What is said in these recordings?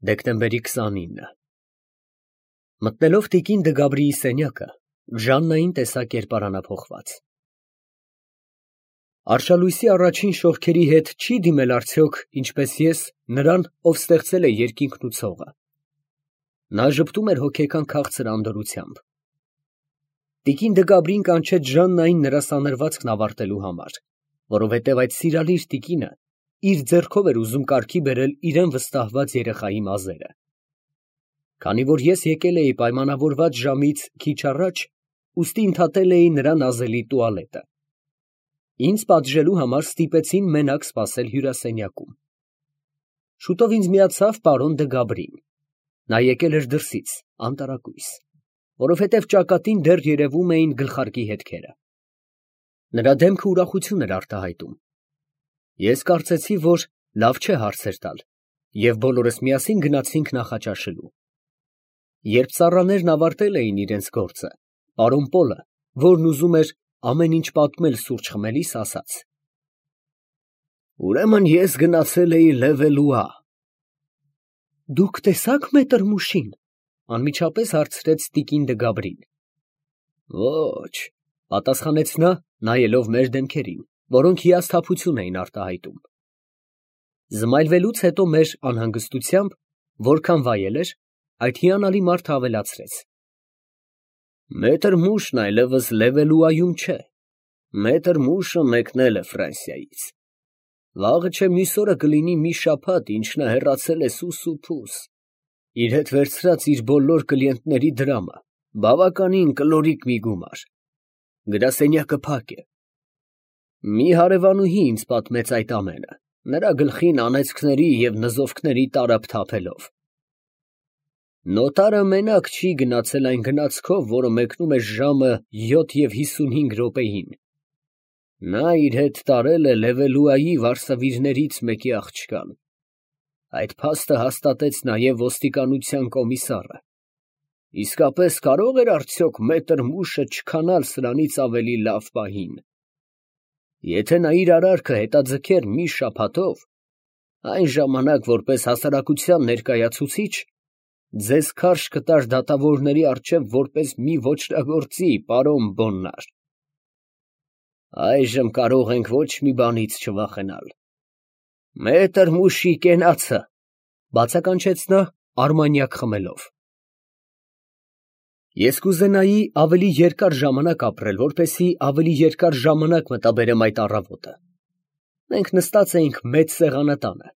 Դեկտեմբերի 29 Մտնելով տիկին Դգաբրիի սենյակը, Ժաննային տեսա կերպարանափոխված։ Արշալույսի առաջին շողքերի հետ չի դիմել արդյոք, ինչպես ես, նրան, ով ստեղծել է երկինքն ու ցողը։ Նա ժպտում էր հոգեկան քաղցր անդորրությամբ։ Տիկին Դգաբրին կանչեց Ժաննային նրա սանրվածքն ավարտելու համար, որովհետև այդ սիրալիր տիկինը իր ձեռքով էր ուզում կարգի բերել իրեն վստահված երեխայի մազերը։ Քանի որ ես եկել էի պայմանավորված ժամից քիչ առաջ, ուստի ընդհատել էի նրա նազելի տուալետը։ Ինձ պատժելու համար ստիպեցին մենակ սպասել հյուրասենյակում։ Շուտով ինձ միացավ պարոն Դգաբրին։ Նա եկել էր դրսից, անտարակույս, որովհետև ճակատին դեռ երևում էին գլխարկի հետքերը։ Նրա դեմքը ուրախություն էր արտահայտում։ Ես կարծեցի, որ լավ չէ հարցեր տալ, և բոլորս միասին գնացինք նախաճաշելու։ Երբ ծառաներն ավարտել էին իրենց գործը, պարոն Պոլը, որն ուզում էր ամեն ինչ պատմել սուրճ խմելիս, ասաց. «Ուրեմն ես գնացել էի Լևելուա»։ «Դուք տեսա՞ք մետր Մուշին», անմիջապես հարցրեց տիկին Դգաբրին։ «Ոչ», պատասխանեց նա, նայելով մեր դեմքերին, որոնք հիասթափություն էին արտահայտում։ Զմայլվելուց հետո մեր անհանգստությամբ, որքան վայել էր, այդ հիանալի մարդը ավելացրեց. «Մետր Մուշն այլևս Լևելուայում չէ, մետր Մուշը մեկնել է Ֆրանսիայից։ Վաղը չէ մյուս օրը կլինի մի շաբաթ, ինչ նա հեռացել է սուս ու փուս, իր հետ վերցրած իր բոլոր կլիենտների դրամը, բավականին կլորիկ մի գումար։ Գրասենյակը փակ է։ Մի հարևանուհի ինձ պատմեց այդ ամենը, նրա գլխին անեծքների և նզովքների տարափ թափելով։ Նոտարը մենակ չի գնացել այն գնացքով, որը մեկնում է ժամը 7:55 րոպեին։ Նա իր հետ տարել է Լևելուայի վարսավիրներից մեկի աղջկան։ Այդ փաստը հաստատեց նաև ոստիկանության կոմիսարը։ Իսկապես կարո՞ղ էր արդյոք մետր Մուշը չքանալ սրանից ավելի լավ պահին։ Եթե նա իր արարքը հետաձգեր մի շաբաթով, այն ժամանակ որպես հասարակության ներկայացուցիչ, ձեզ քարշ կտար դատավորների առջև որպես մի ոճրագործի, պարոն Բոննար։ Այժմ կարող ենք ոչ մի բանից չվախենալ։ Մետր Մուշի կենացը, բացականչեց նա արմանյակ խմելով։ Ես կուզենայի ավելի երկար ժամանակ ապրել, որպեսզի ավելի երկար ժամանակ մտաբերեմ այդ առավոտը։ Մենք նստած էինք մեծ սեղանատանը,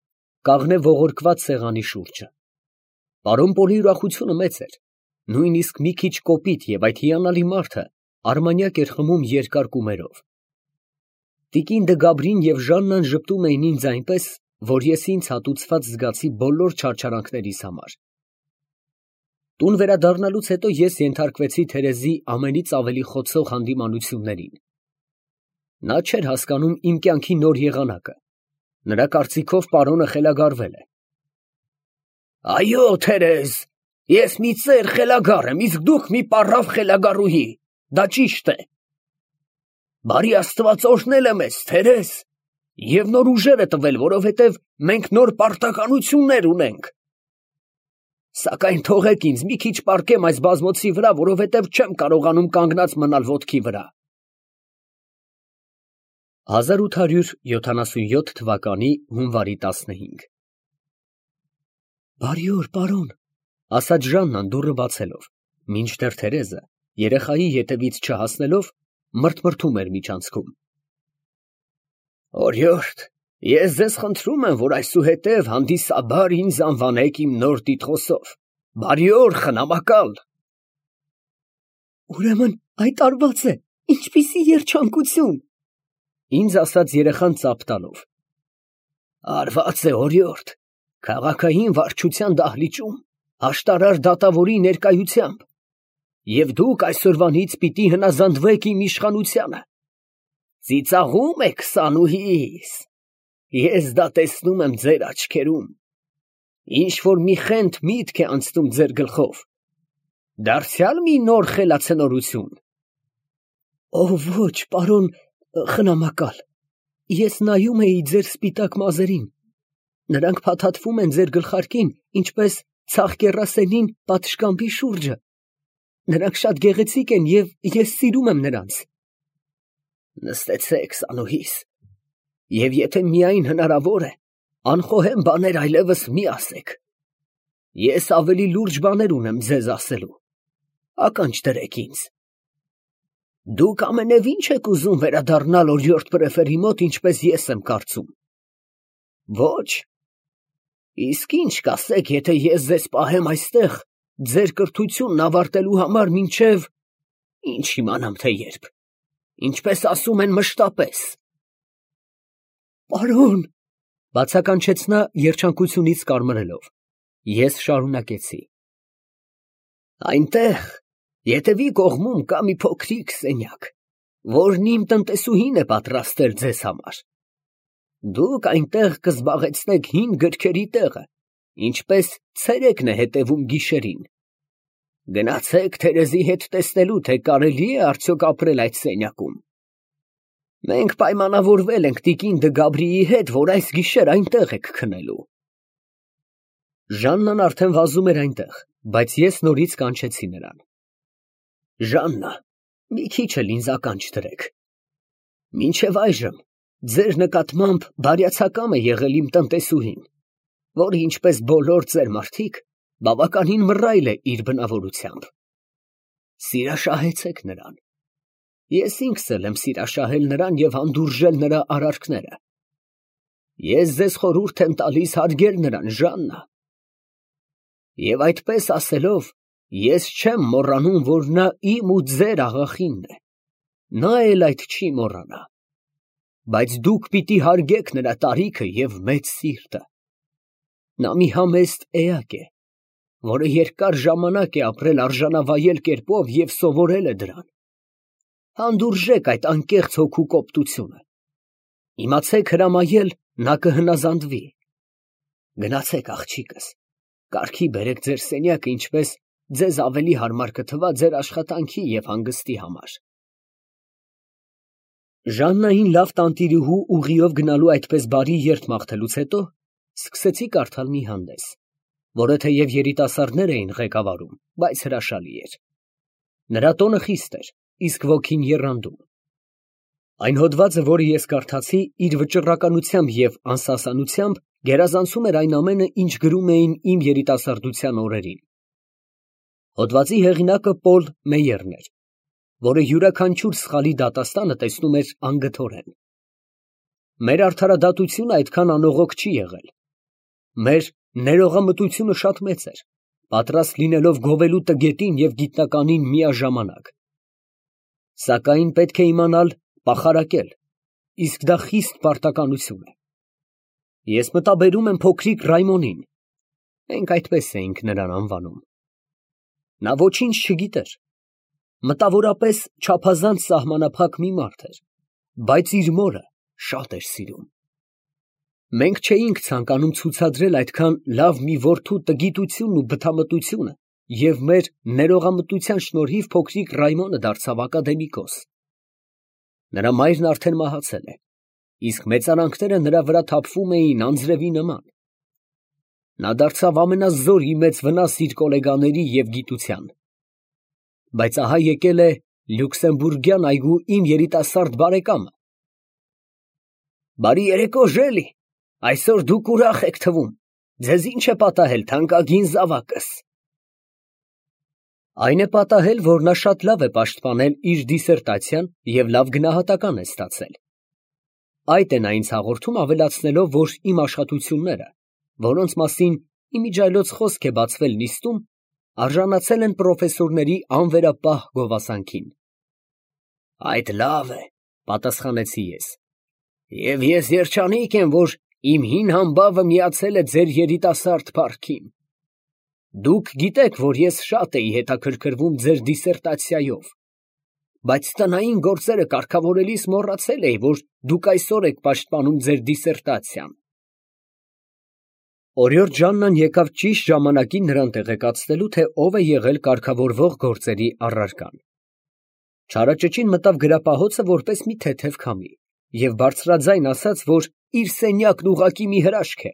կաղնե ողորկված սեղանի շուրջը։ Պարոն Պոլի ուրախությունը մեծ էր, նույնիսկ մի քիչ կոպիտ, և այդ հիանալի մարդը արմանյակ էր խմում երկար կումերով։ Տիկին Դգաբրին և Ժաննան ժպտում էին ինձ այնպես, որ ես ինձ հատուցված զգացի բոլոր չարչարանքներիս համար։ Տուն վերադառնալուց հետո ես ենթարկվեցի Թերեզի ամենից ավելի խոցող հանդիմանություններին։ Նա չէր հասկանում իմ կյանքի նոր եղանակը։ Նրա կարծիքով պարոնը խելագարվել է։ Այո, Թերեզ, ես մի ծեր խելագար եմ, իսկ դուք մի պառավ խելագարուհի, դա ճիշտ է։ Բարի Աստված օրհնել է մեզ, Թերեզ, և նոր ուժեր է տվել, որովհետև մենք նոր պարտականություններ ունենք։ Սակայն թողեք ինձ մի քիչ պառկեմ այս բազմոցի վրա, որովհետև չեմ կարողանում կանգնած մնալ ոտքի վրա։ 1877 թվականի հունվարի 15 Բարի օր, պարոն, ասաց Ժաննան դուռը բացելով, մինչդեռ Թերեզը, երեխայի ետևից չհասնելով, մրթմրթում էր միջանցքում։ Օրիորդ, ես ձեզ խնդրում եմ, որ այսուհետև հանդիսաբար ինձ անվանեք իմ նոր տիտղոսով, բարի օր, խնամակալ։ Ուրեմն այդ արված է, ինչպիսի երջանկություն, ինձ ասաց երեխան ծափ տալով։ Արված է, օրիորդ, քաղաքային վարչության դահլիճում, աշտարար դատավորի ներկայությամբ, և դուք այսօրվանից պիտի հնազանդվեք իմ իշխանությանը։ Ծիծաղում եք, սանուհիս, ես դա տեսնում եմ ձեր աչքերում, ինչ-որ մի խենթ միտք է անցնում ձեր գլխով, դարձյալ մի նոր խելացնորություն։ Ոչ, պարոն խնամակալ, ես նայում էի ձեր սպիտակ մազերին, Նրանք փաթաթվում են ձեր գլխարկին, ինչպես ցաղկեռասենին պատշգամբի շուրջը։ Նրանք շատ գեղեցիկ են և ես սիրում եմ նրանց։ Նստեցեք, Սանուհիս, և եթե միայն հնարավոր է, անխոհեմ բաներ այլևս մի ասեք։ Ես ավելի լուրջ բաներ ունեմ ձեզ ասելու, ականջ դրեք ինձ։ Դուք ամենևին չեք ուզում վերադառնալ օրիորդ պրեֆերի մոտ, ինչպես ես եմ կարծում։ Ոչ։ Իսկ ինչ կասեք, եթե ես ձեզ պահեմ այստեղ, ձեր կրթությունն ավարտելու համար մինչև, ինչ իմանամ թե երբ, ինչպես ասում են մշտապես։ Պարոն, բացականչեց նա երջանկությունից կարմրելով։ Ես շարունակեցի. Այնտեղ, ետևի կողմում կա մի փոքրիկ սենյակ, որն իմ տնտեսուհին է պատրաստել ձեզ համար։ Դուք այնտեղ կզբաղեցնեք հին գրքերի տեղը, ինչպես ցերեկն է հետևում գիշերին։ Գնացեք Թերեզի հետ տեսնելու, թե կարելի է արդյոք ապրել այդ սենյակում։ Մենք պայմանավորվել ենք տիկին Դը Գաբրիի հետ, որ այս գիշեր այնտեղ եք քնելու։ Ժաննան արդեն վազում էր այնտեղ, բայց ես նորից կանչեցի նրան։ Ժաննա, մի քիչ էլ ինձ ականջ դրեք։ Մինչև այժմ ձեր նկատմամբ բարյացակամ է եղել իմ տնտեսուհին, որը ինչպես բոլոր ծեր մարդիկ, բավականին մռայլ է իր բնավորությամբ։ Սիրաշահեցեք նրան։ Ես ինքս էլ եմ սիրաշահել նրան և հանդուրժել նրա արարքները։ Ես ձեզ խորհուրդ եմ տալիս հարգել նրան, Ժաննա։ Եվ այդպես ասելով, ես չեմ մոռանում, որ նա իմ ու ձեր աղախինն է։ Նա էլ այդ չի մոռանա։ Բայց դուք պիտի հարգեք նրա տարիքը և մեծ սիրտը։ Նա մի համեստ էակ է, որը երկար ժամանակ է ապրել արժանավայել կերպով և սովորել է դրան։ Հանդուրժեք այդ անկեղծ հոգու կոպտությունը։ Իմացեք հրամայել, նա կհնազանդվի։ Գնացեք, աղջիկս, կարգի բերեք ձեր սենյակը, ինչպես ձեզ ավելի հարմար կթվա ձեր աշխատանքի և հանգստի համար։ Ժաննային լավ տանտիրուհու ուղիով գնալու այդպես բարի երթ մաղթելուց հետո սկսեցի կարդալ մի հանդես, որը թեև երիտասարդներ էին ղեկավարում, բայց հրաշալի էր։ Նրա տոնը խիստ էր, իսկ ոգին եռանդում։ Այն հոդվածը, որը ես կարդացի, իր վճռականությամբ և անսասանությամբ գերազանցում էր այն ամենը, ինչ գրում էին իմ երիտասարդության օրերին։ Հոդվածի հեղինակը Պոլ Մեյերն էր, որը յուրաքանչյուր սխալի դատաստանը տեսնում էր անգթորեն։ Մեր արդարադատությունը այդքան անողոք չի եղել։ Մեր ներողամտությունը շատ մեծ էր, պատրաստ լինելով գովելու տգետին և գիտնականին միաժամանակ։ Սակայն պետք է իմանալ պախարակել, իսկ դա խիստ պարտականություն է։ Ես մտաբերում եմ փոքրիկ Ռայմոնին, մենք այդպես էինք նրան անվանում։ Նա ոչինչ չգիտեր, մտավորապես չափազանց սահմանափակ մի մարդ էր, բայց իր մորը շատ էր սիրում։ Մենք չէինք ցանկանում ցուցադրել այդքան լավ մի որդու տգիտությունն ու բթամտությունը, և մեր ներողամտության շնորհիվ փոքրիկ Ռայմոնը դարձավ ակադեմիկոս։ Նրա մայրն արդեն մահացել է, իսկ մեծարանքները նրա վրա թափվում էին անձրևի նման։ Նա դարձավ ամենազոր մեծ վնաս իր գոլեգաների և գիտության։ Բայց ահա եկել է Լյուքսեմբուրգյան այգու իմ երիտասարդ բարեկամը։ Բարի երեկո, Ժելի, այսօր դուք ուրախ եք թվում, ձեզ ինչ է պատահել, թանկագին զավակս։ Այն է պատահել, որ նա շատ լավ է պաշտպանել իր դիսերտացիան և լավ գնահատական է ստացել։ Այդ է նա ինձ հաղորդում, ավելացնելով, որ իմ աշխատությունները, որոնց մասին իմիջիայլոց խոսք է բացվել նիստում, արժանացել են պրոֆեսորների անվերապահ գովասանքին։ Այդ լավ է, պատասխանեցի ես, և ես երջանիկ եմ, որ իմ հին համբավը միացել է ձեր երիտասարդ փառքին։ Դուք գիտեք, որ ես շատ էի հետաքրքրվում ձեր դիսերտացիայով, բայց տնային գործերը կարգավորելիս մոռացել էի, որ դուք այսօր եք պաշտպանում ձեր դիսերտացիան։ Օրիորդ Ժաննան եկավ ճիշտ ժամանակին նրան տեղեկացնելու, թե ով է եղել կարգավորվող գործերի առարկան։ Չարաճճին մտավ գրապահոցը որպես մի թեթև քամի և բարձրաձայն ասաց, որ իր սենյակն ուղղակի մի հրաշք է,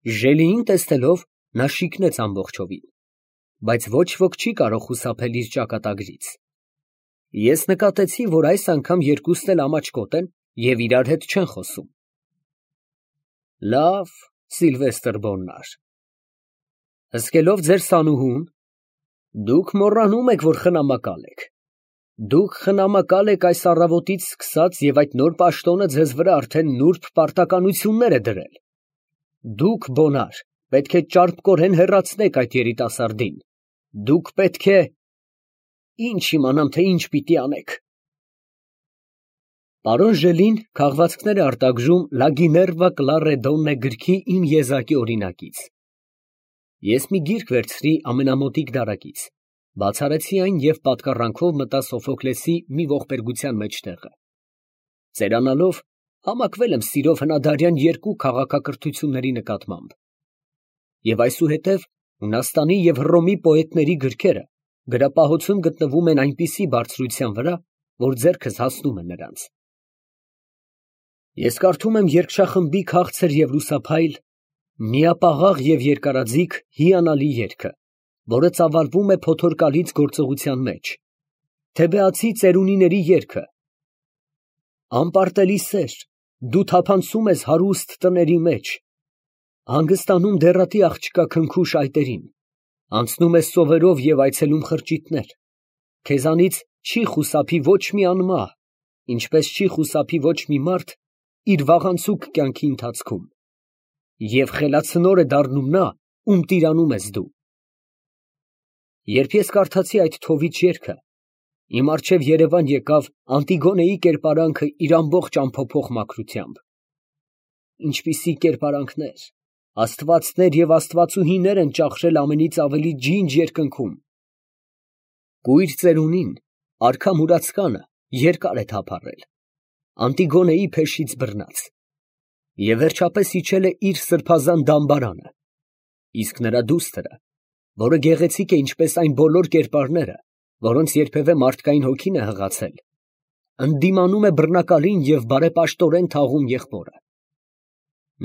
Ժելիին տեսնելով նա շիկնեց ամբողջովին, բայց ոչ ոք չի կարող խուսափել իր ճակատագրից։ Ես նկատեցի, որ այս անգամ երկուսն էլ ամաչկոտ են և իրար հետ չեն խոսում։ Լավ, Սիլվեստր Բոննար, հսկելով ձեր սանուհուն, դուք մոռանում եք, որ խնամակալ եք։ Դուք խնամակալ եք այս առավոտից սկսած և այդ նոր պաշտոնը ձեզ վրա արդեն նուրբ պարտականություններ է դրել։ Դուք, Բոնար, պետք է ճարպկորեն հեռացնեք այդ երիտասարդին։ Դուք պետք է… Ինչ իմանամ, թե ինչ պիտի անեք։ Պարոն Ժելին քաղվածքներ է արտագժում «Լա Գիներվա Կլարե Դոննե» գրքի իմ եզակի օրինակից։ Ես մի գիրք վերցրի ամենամոտիկ դարակից, բացարեցի այն և պատկառանքով մտա Սոֆոկլեսի մի ողբերգության մեջտեղը։ Ծերանալով համակվել եմ սիրով հնադարյան երկու քաղաքակրթությունների նկատմամբ։ Եվ այսուհետև Հունաստանի և Հռոմի պոետների գրքերը գրապահոցում գտնվում են այնպիսի բարձրության վրա, որ ձեռքս հասնում է նրանց։ Ես կարդում եմ երգչախմբի քաղցր և լուսափայլ, միապաղաղ և երկարաձիգ հիանալի երգը, որը ծավալվում է փոթորկալից գործողության մեջ, թեբեացի ծերունիների երգը. անպարտելի սեր, դու թափանցում ես հարուստ տների մեջ, հանգստանում դեռատի աղջկա քնքուշ այտերին, անցնում ես սովերով և այցելում խրճիթներ, քեզանից չի խուսափի ոչ մի անմահ, ինչպես չի խուսափի ոչ մի մարդ իր վաղանցուկ կյանքի ընթացքում, և խելացնոր է դառնում նա, ում տիրանում ես դու։ Երբ ես կարդացի այդ թովիչ երգը, իմ առջև երևան եկավ Անտիգոնեի կերպարանքը իր ամբողջ ամփոփող մաքրությամբ։ Ինչպիսի կերպարանքներ, աստվածներ և աստվածուհիներ են ճախրել ամենից ավելի ջինջ երկնքում։ Կույր ծերունին, արքա մուրացկանը երկար է թափառել, Անտիգոնեի փեշից բռնած, և վերջապես իջել է իր սրբազան դամբարանը, իսկ նրա դուստրը, որը գեղեցիկ է ինչպես այն բոլոր կերպարները, որոնց երբևէ մարդկային հոգին է հղացել, ընդդիմանում է բռնակալին և բարեպաշտորեն թաղում եղբորը։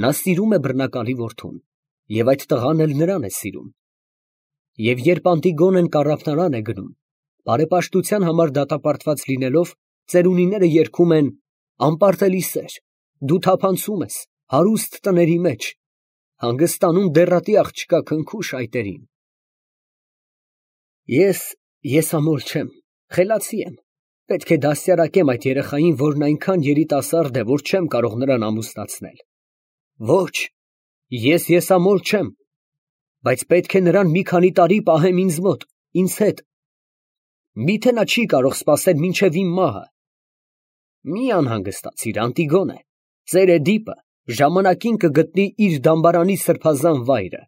Նա սիրում է բռնակալի որդուն, և այդ տղան էլ նրան է սիրում։ Եվ երբ Անտիգոնեն կառափնարան է գնում, բարեպաշտության համար դատապարտված լինելով, ծերունիները երգում են. անպարտելի սեր, դու թափանցում ես հարուստ տների մեջ, հանգստանում դեռատի աղջկա քնքուշ այտերին։ Ես եսամոլ չեմ, խելացի եմ, պետք է դաստիարակեմ այդ երեխային, որն այնքան երիտասարդ է, որ չեմ կարող նրան ամուսնացնել։ Ոչ, ես եսամոլ չեմ, բայց պետք է նրան մի քանի տարի պահեմ ինձ մոտ, ինձ հետ։ Միթե նա չի կարող սպասել մինչև իմ մահը։ Մի անհանգստացիր, Անտիգոնե, ծեր Էդիպը ժամանակին կգտնի իր դամբարանի սրբազան վայրը։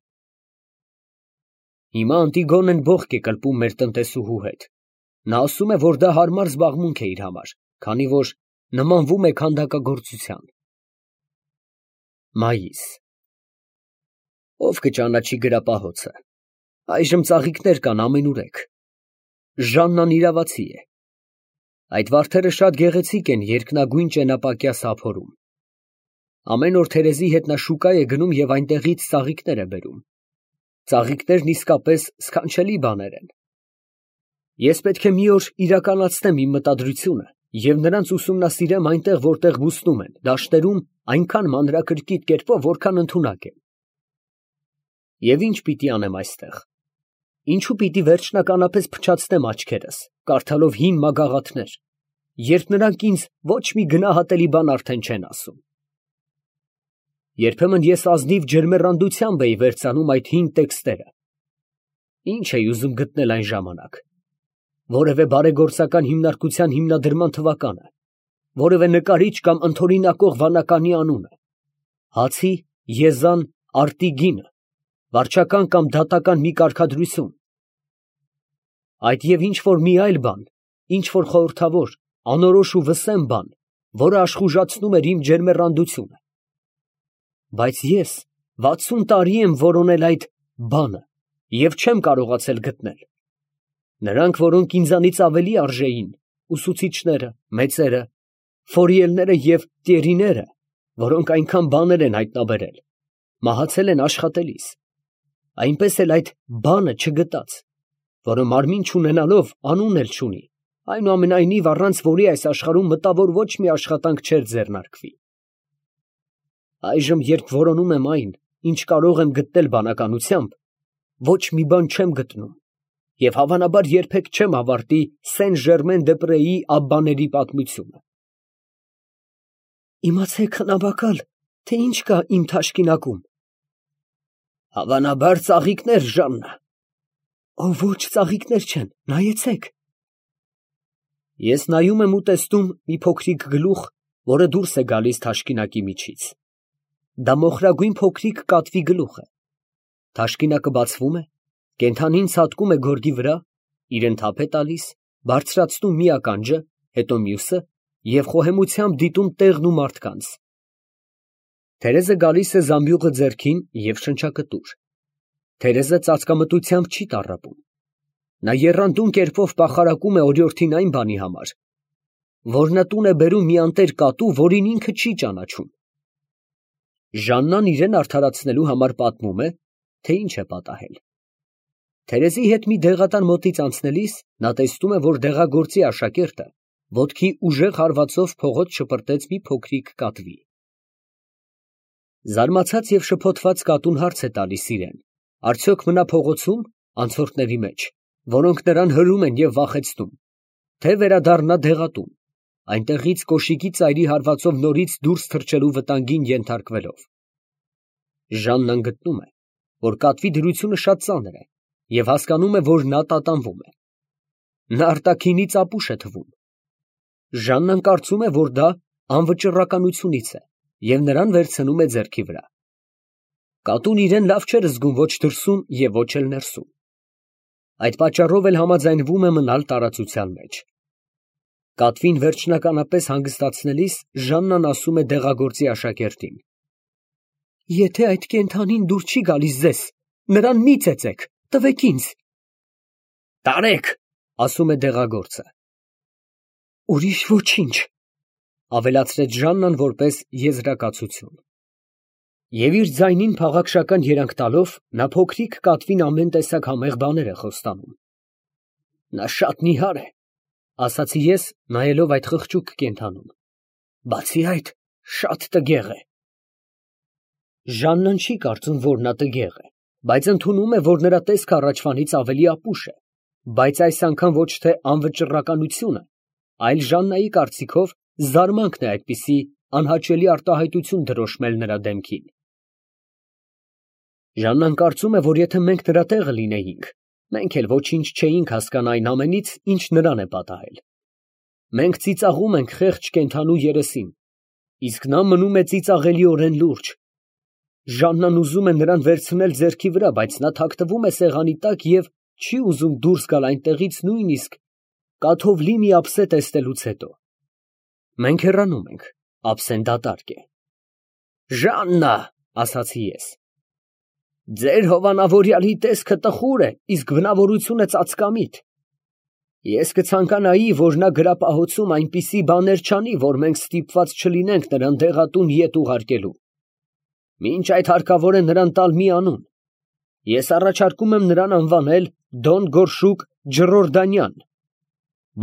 Հիմա Անտիգոնեն բողոք է կլպում մեր տնտեսուհու հետ։ Նա ասում է, որ դա հարմար զբաղմունք է իր համար, քանի որ նմանվում է քանդակագործության։ Մայիս։ Ով կճանաչի գրապահոցը։ Այժմ ծաղիկներ կան ամենուրեք։ Ժաննան իրավացի է։ Այդ վարդերը շատ գեղեցիկ են երկնագույն ճենապակյա սափորում։ Ամեն օր Թերեզի հետ նա շուկա է գնում և այնտեղից ծաղիկներ է բերում։ Ծաղիկներն իսկապես սքանչելի բաներ են։ Ես պետք է մի օր իրականացնեմ իմ մտադրությունը և նրանց ուսումնասիրեմ այնտեղ, որտեղ բուսնում են, դաշտերում այնքան մանրակրկիտ կերպով, որքան ընդունակ է։ Եվ ինչ պիտի անեմ այստեղ։ Ինչու պիտի վերջնականապես փչացնեմ աչքերս, կարդալով հին մագաղաթներ, երբ նրանք ինձ ոչ մի գնահատելի բան արդեն չեն ասում։ Երբեմն ես ազնիվ ջերմեռանդությամբ էի վերցնում այդ հին տեքստերը։ Ինչ էի ուզում գտնել այն ժամանակ։ Որևէ բարեգործական հիմնարկության հիմնադրման թվականը, որևէ նկարիչ կամ ընդօրինակող վանականի անունը, հացի, եզան, արտի գինը, վարչական կամ դատական մի կարգադրություն։ Այդ և ինչ որ մի այլ բան, ինչ որ խորհրդավոր, անորոշ ու վսեմ բան, որը աշխուժացնում էր իմ ջերմեռանդությունը։ Բայց ես 60 տարի եմ որոնել այդ բանը և չեմ կարողացել գտնել։ Նրանք, որոնք ինձանից ավելի արժեին, ուսուցիչները, մեծերը, Ֆորիելները և Տիերիները, որոնք այնքան բաներ են հայտնաբերել, մահացել են աշխատելիս, այնպես էլ այդ բանը չգտած, որը մարմին չունենալով անուն էլ չունի, այնուամենայնիվ առանց որի այս աշխարհում մտավոր ոչ մի աշխատանք չէր ձեռնարկվի։ Այժմ, երբ որոնում եմ այն, ինչ կարող եմ գտնել բանականությամբ, ոչ մի բան չեմ գտնում, և հավանաբար երբեք չեմ ավարտի Սեն-Ժերմեն-դե-Պրեի աբբաների պատմությունը։ Իմացեք նավակալ, թե ինչ կա իմ թաշկինակում։ Հավանաբար ծաղիկներ, Ժաննա։ Ոչ, ծաղիկներ չեն, նայեցեք։ Ես նայում եմ ու տեսնում մի փոքրիկ գլուխ, որը դուրս է գալիս թաշկինակի միջից։ Դա մոխրագույն փոքրիկ կատվի գլուխ է։ Թաշկինակը բացվում է, կենդանին ցատկում է գորգի վրա, իրեն թափ է տալիս, բարձրացնում մի ականջը, հետո մյուսը և խոհեմությամբ դիտում տեղն ու մարդկանց։ Թերեզը գալիս է զամբյուղը ձեռքին և շնչակտուր։ Թերեզը ծածկամտությամբ չի տառապում։ Նա եռանդուն կերպով պախարակում է օրիորդին այն բանի համար, որ նա տուն է բերում մի անտեր կատու, որին ինքը չի ճանաչում։ Ժաննան իրեն արդարացնելու համար պատմում է, թե ինչ է պատահել։ Թերեզի հետ մի դեղատան մոտից անցնելիս նա տեսնում է, որ դեղագործի աշակերտը ոտքի ուժեղ հարվածով փողոց շպրտեց մի փոքրիկ կատվի։ Զարմացած և շփոթված կատուն հարց է տալիս իրեն. արդյոք մնա փողոցում, անցորդների մեջ, որոնք նրան հրում են և վախեցնում, թե վերադառնա դեղատուն, այնտեղից կոշիկի ծայրի հարվածով նորից դուրս թռչելու վտանգին ենթարկվելով։ Ժաննան գտնում է, որ կատվի դրությունը շատ ծանր է և հասկանում է, որ նա տատանվում է։ Նա արտաքինից ապուշ է թվում։ Ժաննան կարծում է, որ դա անվճռականությունից է և նրան վերցնում է ձեռքի վրա։ Կատուն իրեն լավ չէր զգում ոչ դրսում և ոչ էլ ներսում։ Այդ պատճառով էլ համաձայնվում է մնալ տարածության մեջ։ Կատվին վերջնականապես հանգստացնելիս Ժաննան ասում է դեղագործի աշակերտին. Եթե այդ կենդանին դուր չի գալիս ձեզ, նրան մի ծեծեք, տվեք ինձ։ Տարեք, ասում է դեղագործը։ Ուրիշ ոչինչ, ավելացրեց Ժաննան որպես եզրակացություն։ Եվ իր ձայնին փաղաքշական երանգ տալով, նա փոքրիկ կատվին ամեն տեսակ համեղ բաներ է խոստանում։ Նա շատ նիհար է, ասացի ես, նայելով այդ խղճուկ կենդանուն։ Բացի այդ, շատ տգեղ է։ Ժաննան չի կարծում, որ նա տգեղ է, բայց ընդունում է, որ նրա տեսքը առաջվանից ավելի ապուշ է, բայց այս անգամ ոչ թե անվճռականությունը, այլ Ժաննայի կարծիքով զարմանքն է այդպիսի անհաճելի արտահայտություն դրոշմել նրա դեմքին։ Ժաննան կարծում է, որ եթե մենք նրա տեղը լինեինք, մենք էլ ոչինչ չէինք հասկանա այն ամենից, ինչ նրան է պատահել։ Մենք ծիծաղում ենք խեղճ կենդանու երեսին, իսկ նա մնում է ծիծաղելիորեն լուրջ։ Ժաննան ուզում է նրան վերցնել ձեռքի վրա, բայց նա թաքնվում է սեղանի տակ և չի ուզում դուրս գալ այնտեղից նույնիսկ կաթով լի մի ափսե տեսնելուց հետո։ Մենք հեռանում ենք, ափսեն դատարկ է։ Ժաննա, ասացի ես, ձեր հովանավորյալի տեսքը տխուր է, իսկ բնավորությունը ծածկամիտ։ Ես կցանկանայի, որ նա գրապահոցում այնպիսի բաներ չանի, որ մենք ստիպված չլինենք նրան դեղատուն ետ ուղարկելու։ Մինչ այդ հարկավոր է նրան տալ մի անուն։ Ես առաջարկում եմ նրան անվանել Դոն Գորշուկ Ջռորդանյան,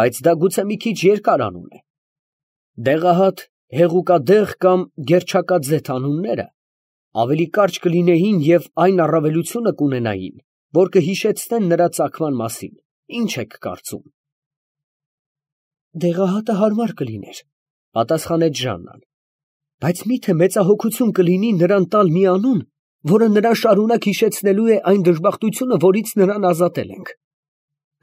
բայց դա գուցե մի քիչ երկար անուն է։ Դեղահատ, Հեղուկադեղ կամ Գերչակաձեթ անունները ավելի կարճ կլինեին և այն առավելությունը կունենային, որ կհիշեցնեն նրա ծագման մասին։ Ինչ եք կարծում։ Դեղահատը հարմար կլիներ, պատասխանեց Ժաննան, բայց միթե մեծահոգություն կլինի նրան տալ մի անուն, որը նրան շարունակ հիշեցնելու է այն դժբախտությունը, որից նրան ազատել ենք։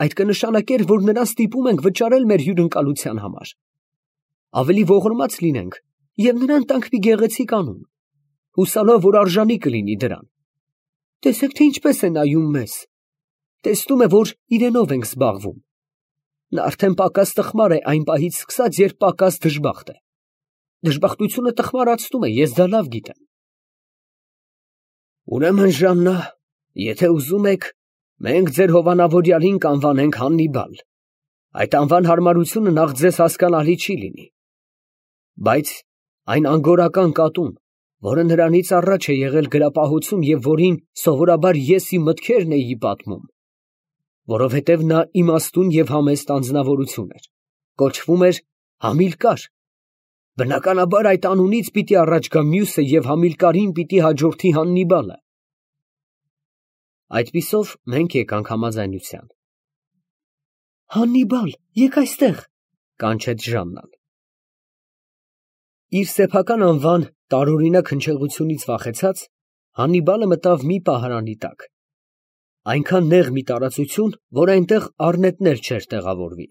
Այդ կնշանակեր, որ նրան ստիպում ենք վճարել մեր հյուրընկալության համար։ Ավելի ողորմած լինենք և նրան տանք մի գեղեցիկ անուն, հուսալով, որ արժանի կլինի դրան։ Տեսեք, թե ինչպես է նայում մեզ։ Տեսնում է, որ իրենով ենք զբաղվում։ Նա արդեն պակաս տխմար է այն պահից սկսած, երբ պակաս դժբախտ է։ Դժբախտությունը տխմարացնում է, ես դա լավ գիտեմ։ Ուրեմն, Ժաննա, եթե ուզում եք, մենք ձեր հովանավորյալին կանվանենք Հաննիբալ։ Այդ անվան հարմարությունը նախ ձեզ հասկանալի չի լինի։ Բայց այն անգորական կատուն, որը նրանից առաջ է եղել գրապահություն և որին սովորաբար ես իմ մտքերն էի պատմում, որովհետև նա իմաստուն և համեստ անձնավորություն էր, կոչվում էր Համիլկար, բնականաբար այդ անունից պիտի առաջ գա մյուսը և Համիլկարին պիտի հաջորդի Հաննիբալը։ Այդպիսով մենք եկանք համաձայնության։ Հաննիբալ, եկ այստեղ, կանչեց Ժաննան։ Իր սեփական անվան տարօրինակ հնչեղությունից վախեցած, Հաննիբալը մտավ մի պահարանի տակ, այնքան նեղ մի տարածություն, որ այնտեղ առնետներ չէր տեղավորվի։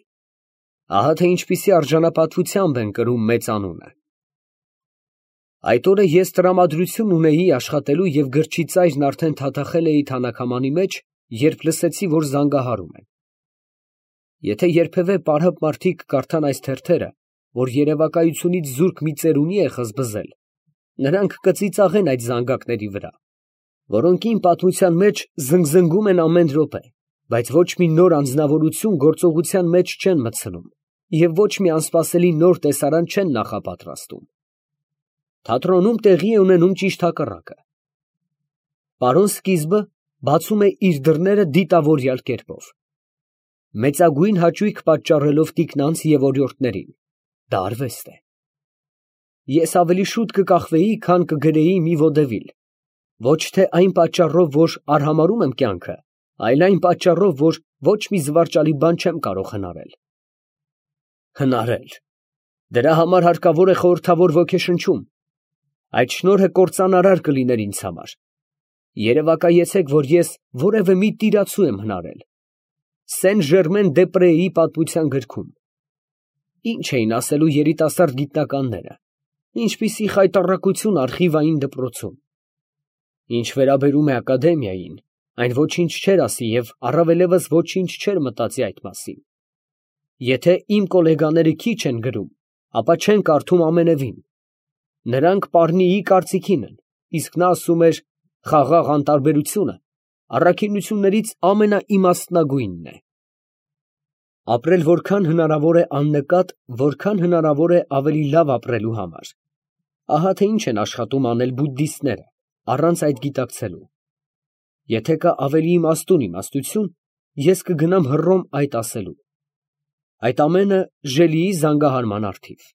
Ահա թե ինչպիսի արժանապատվությամբ են կրում մեծ անունը։ Այդ օրը ես տրամադրություն ունեի աշխատելու և գրչի ծայրն արդեն թաթախել էի թանաքամանի մեջ, երբ լսեցի, որ զանգահարում են։ Եթե երբևէ պարհապ մարդիկ կարդան այս թերթերը, որ երևակայությունից զուրկ մի ծերունի է խզբզել, նրանք կծիծաղեն այդ զանգակների վրա, որոնք իմ պատմության մեջ զնգզնգում են ամեն րոպե, բայց ոչ մի նոր անձնավորություն գործողության մեջ չեն մտցնում և ոչ մի անսպասելի նոր տեսարան չեն նախապատրաստում։ Թատրոնում տեղի է ունենում ճիշտ հակառակը։ Պարոն Սկիզբը բացում է իր դռները դիտավորյալ կերպով, մեծագույն հաճույք պատճառելով տիկնանց և օրիորդներին, դա արվեստ է։ Ես ավելի շուտ կկախվեի, քան կգրեի մի ոդևիլ, ոչ թե այն պատճառով, որ արհամարհում եմ կյանքը, այլ այն պատճառով, որ ոչ մի զվարճալի բան չեմ կարող հնարել։ Հնարել, դրա համար հարկավոր է խորհրդավոր ոգեշնչում, այդ շնորհը կործանարար կլիներ ինձ համար։ Երևակայեցեք, որ ես որևէ մի տիրացու եմ հնարել։ Սեն Ժերմեն դե Պրեի պատմության գրքում։ Ինչ էին ասելու երիտասարդ գիտնականները, ինչպիսի խայտառակություն արխիվային դպրոցում։ Ինչ վերաբերում է ակադեմիային, այն ոչինչ չէր ասի և առավելևս ոչինչ չէր մտածի այդ մասին։ Եթե իմ կոլեգաները քիչ են գրում, ապա չեն կարդում ամենևին։ Նրանք Պառնիի կարծիքին են, իսկ նա ասում էր խաղաղ անտարբերությունը առաքինություններից ամենաիմաստնագույնն է։ Ապրել որքան հնարավոր է աննկատ, որքան հնարավոր է ավելի լավ ապրելու համար։ Ահա թե ինչ են աշխատում անել բուդդիստները, առանց այդ գիտակցելու։ Եթե կա ավելի իմաստուն իմաստություն, ես կգնամ Հռոմ այդ ասելու։ Այդ ամենը Ժելիի զանգահարման առթիվ։